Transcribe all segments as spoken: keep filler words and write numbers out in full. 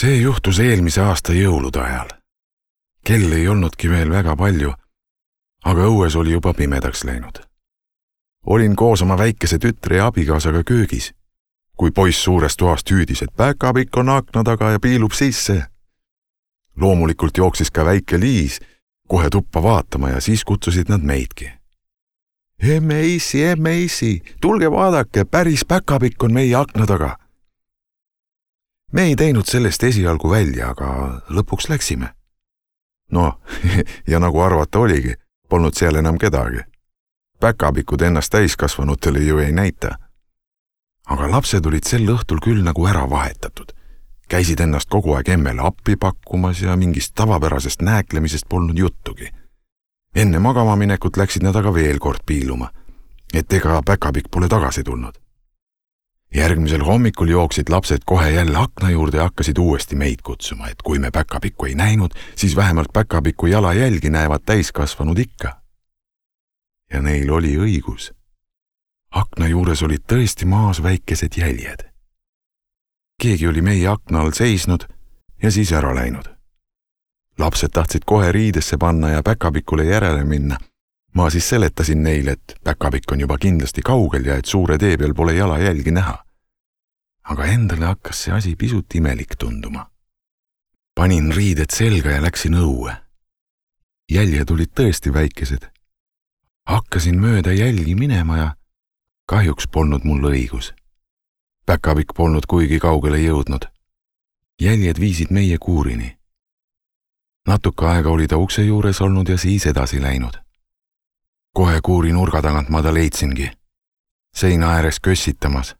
See juhtus eelmise aasta jõulude ajal. Kell ei olnudki veel väga palju, aga õues oli juba pimedaks läinud. Olin koos oma väikese tütre ja abikaasaga köögis, kui poiss suurest toast hüüdis, et päkapikk on akna taga ja piilub sisse. Loomulikult jooksis ka väike Liis kohe tuppa vaatama ja siis kutsusid nad meidki. Emme issi, emme issi, tulge vaadake, päris päkapikk on meie akna taga. Me ei teinud sellest esialgu välja, aga lõpuks läksime. No, ja nagu arvata oligi, polnud seal enam kedagi. Päkapikud ennast täiskasvanutele ju ei näita. Aga lapsed olid sel õhtul küll nagu ära vahetatud. Käisid ennast kogu aeg emmele appi pakkumas ja mingist tavapärasest nääklemisest polnud juttugi. Enne magama minekut läksid nad aga veel kord piiluma, et ega päkapikk pole tagasi tulnud. Järgmisel hommikul jooksid lapsed kohe jälle akna juurde ja hakkasid uuesti meid kutsuma, et kui me päkapikku ei näinud, siis vähemalt päkapiku jalajälgi näevad täiskasvanud ikka. Ja neil oli õigus. Akna juures olid tõesti maas väikesed jäljed. Keegi oli meie akna all seisnud ja siis ära läinud. Lapsed tahtsid kohe riidesse panna ja päkapikule järele minna. Ma siis seletasin neile, et päkapikk on juba kindlasti kaugel ja et suure tee peal pole jalajälgi näha. Aga endale hakkas see asi pisut imelik tunduma. Panin riided selga ja läksin õue. Jäljed olid tõesti väikesed. Hakkasin mööda jälgi minema ja kahjuks polnud mul õigus. Päkapikk polnud kuigi kaugele jõudnud. Jäljed viisid meie kuurini. Natuke aega oli ta ukse juures olnud ja siis edasi läinud. Kohe kuuri nurga tagant ma ta leidsingi. Seina ääres kössitamas.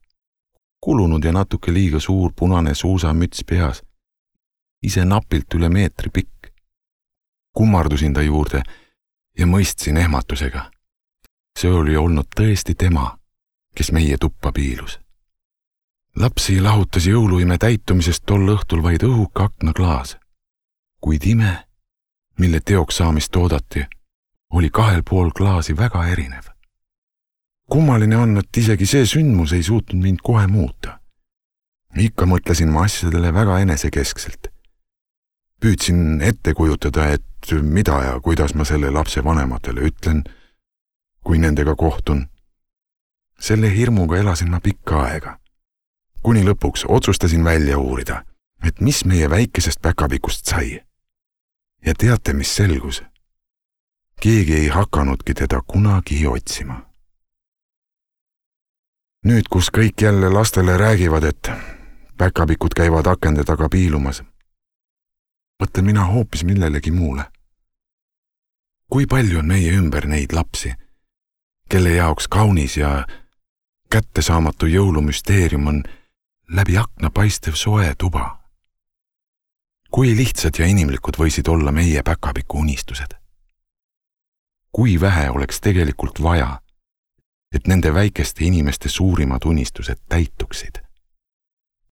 Kulunud ja natuke liiga suur punane suusamüts peas. Ise napilt üle meetri pikk. Kummardusin ta juurde ja mõistsin ehmatusega. See oli olnud tõesti tema, kes meie tuppa piilus. Lapsi lahutas jõuluime täitumisest tol õhtul vaid õhuka aknaklaas. Kuid ime, mille teoks saamist oodati, oli kahel pool klaasi väga erinev. Kummaline on, et isegi see sündmus ei suutnud mind kohe muuta. Ikka mõtlesin ma asjadele väga enesekeskselt. Püüdsin ette kujutada, et mida ja kuidas ma selle lapse vanematele ütlen, kui nendega kohtun. Selle hirmuga elasin ma pikka aega. Kuni lõpuks otsustasin välja uurida, et mis meie väikesest päkapikust sai. Ja teate, mis selgus? Keegi ei hakanudki teda kunagi otsima. Nüüd, kus kõik jälle lastele räägivad, et päkapikud käivad akende taga piilumas, mõtlen mina hoopis millelegi muule. Kui palju on meie ümber neid lapsi, kelle jaoks kaunis ja kättesaamatu jõulumüsteerium on läbi akna paistev soe tuba. Kui lihtsad ja inimlikud võisid olla meie päkapiku unistused? Kui vähe oleks tegelikult vaja, et nende väikeste inimeste suurimad unistused täituksid?